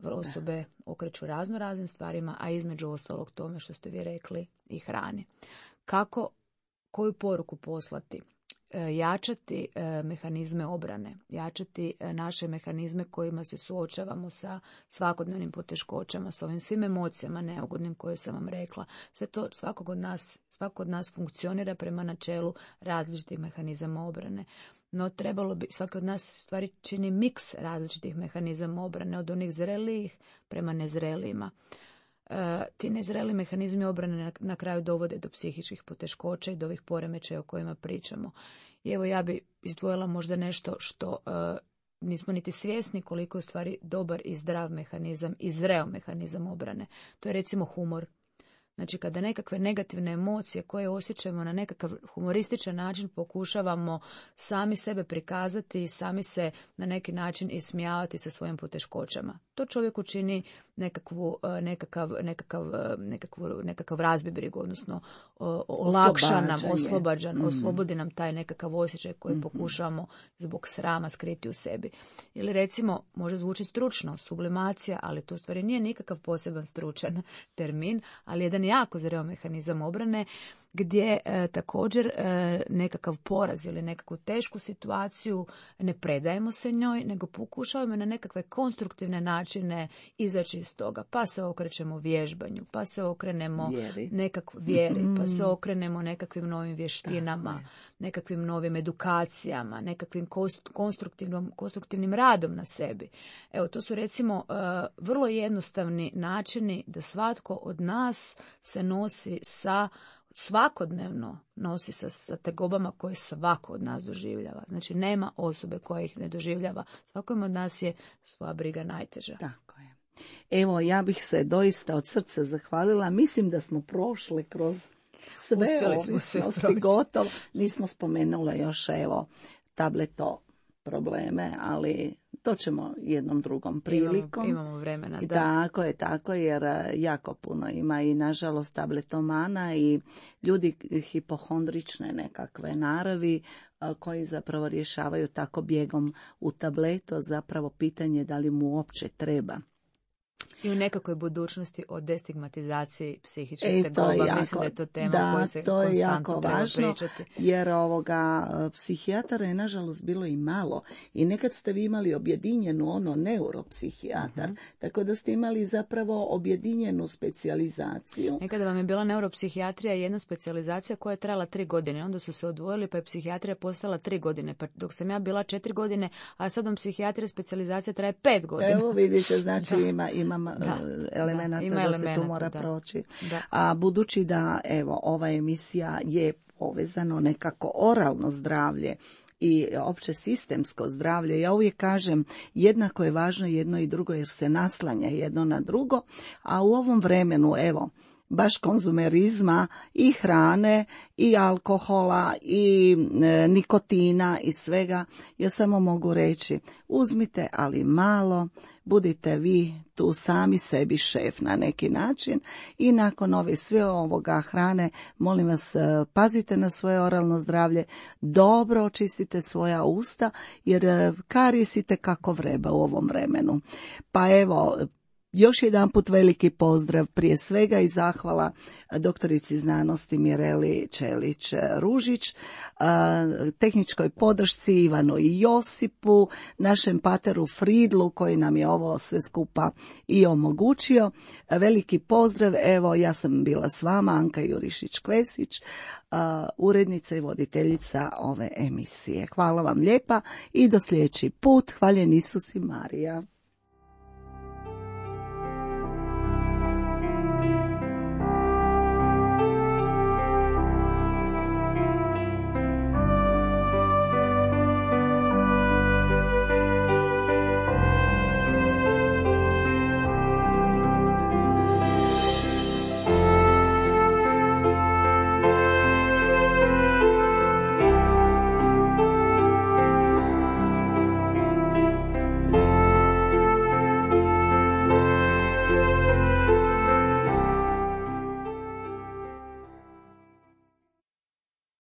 osobe okreću razno raznim stvarima, a između ostalog tome što ste vi rekli i hrani. Kako, koju poruku poslati? Jačati mehanizme obrane, jačati naše mehanizme kojima se suočavamo sa svakodnevnim poteškoćama, sa ovim svim emocijama neugodnim koje sam vam rekla. Sve to svakog od nas, svako od nas funkcionira prema načelu različitih mehanizama obrane. No trebalo bi, svaki od nas stvari čini miks različitih mehanizama obrane, od onih zrelijih prema nezrelijima. E, ti nezreli mehanizmi obrane na, na kraju dovode do psihičkih poteškoća i do ovih poremećaja o kojima pričamo. I evo ja bi izdvojila možda nešto što e, nismo niti svjesni koliko je u stvari dobar i zdrav mehanizam i zreo mehanizam obrane. To je recimo humor. Znači, kada nekakve negativne emocije koje osjećamo na nekakav humorističan način pokušavamo sami sebe prikazati i sami se na neki način ismijavati sa svojim poteškoćama. To čovjeku čini nekakvu, nekakav, nekakav, nekakvu, nekakav razbibrigu, odnosno olakša nam, oslobađan, mm. oslobodi nam taj nekakav osjećaj koji mm-hmm. pokušavamo zbog srama skriti u sebi. Ili recimo, može zvuči stručno, sublimacija, ali to u stvari nije nikakav poseban stručan termin, ali jedan jako zreo mehanizam obrane gdje e, također e, nekakav poraz ili nekakvu tešku situaciju ne predajemo se njoj, nego pokušavamo na nekakve konstruktivne načine izaći iz toga. Pa se okrećemo vježbanju, pa se okrenemo Vjeri. nekakv vjeri, pa se okrenemo nekakvim novim vještinama, nekakvim novim edukacijama, nekakvim konstruktivnom, konstruktivnim radom na sebi. Evo, to su recimo uh, vrlo jednostavni načini da svatko od nas se nosi sa svakodnevno nosi sa, sa tegobama koje svako od nas doživljava. Znači, nema osobe koja ih ne doživljava. Svakom od nas je svoja briga najteža. Tako je. Evo, ja bih se doista od srca zahvalila. Mislim da smo prošli kroz sve ovisnosti gotovo. Nismo spomenula još, evo, tableto probleme, ali to ćemo jednom drugom prilikom. Imamo, imamo vremena, da. Tako je, tako, jer jako puno ima i nažalost tabletomana i ljudi hipohondrične nekakve naravi koji zapravo rješavaju tako bijegom u tableto, zapravo pitanje da li mu uopće treba. I u nekakvoj budućnosti o destigmatizaciji psihičkih e, tegoba. Jako, mislim da je to tema da, o kojoj se to je konstantno jako treba važno, pričati. Jer ovoga, psihijatara je nažalost bilo i malo. I nekad ste vi imali objedinjenu ono neuropsihijatar, uh-huh. tako da ste imali zapravo objedinjenu specijalizaciju. Nekada vam je bila neuropsihijatrija jedna specijalizacija koja je trajala tri godine. Onda su se odvojili pa je psihijatrija postala tri godine. Pa dok sam ja bila četiri godine, a sad vam psihijatrija specijalizacija traje pet godina. Evo vidite, znači ima, ima elemenata da, da, da se tu mora da. proći. Da. A budući da evo ova emisija je povezano nekako oralno zdravlje i opće sistemsko zdravlje, ja uvijek kažem jednako je važno jedno i drugo jer se naslanja jedno na drugo, a u ovom vremenu evo baš konzumerizma i hrane i alkohola i e, nikotina i svega, ja samo mogu reći uzmite ali malo, budite vi tu sami sebi šef na neki način i nakon ove sve ovoga hrane, molim vas pazite na svoje oralno zdravlje, dobro očistite svoja usta jer karisite kako vreba u ovom vremenu. Pa evo, još jedan put veliki pozdrav prije svega i zahvala doktorici znanosti Mireli Čelić-Ružić, tehničkoj podršci Ivanu i Josipu, našem pateru Fridlu koji nam je ovo sve skupa i omogućio. Veliki pozdrav, evo ja sam bila s vama, Anka Jurišić-Kvesić, urednica i voditeljica ove emisije. Hvala vam lijepa i do sljedeći put. Hvaljen Isus i Marija.